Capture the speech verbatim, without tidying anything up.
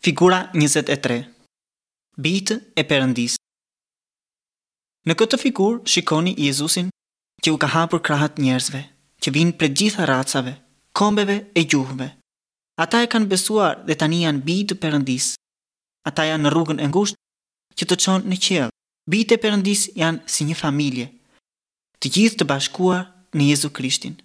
Figura njëzet e tre. Bijtë e Perëndisë. Në këtë figurë shikoni Jezusin që u ka hapur krahët njerëzve, që vijnë prej gjitha racave, kombeve e gjuhëve. Ata e kanë besuar dhe tani janë bij të Perëndisë. Ata janë në rrugën e ngushtë që të çon në qiell. Bijtë e Perëndisë janë si një familje, të gjithë të bashkuar në Jezu Krishtin.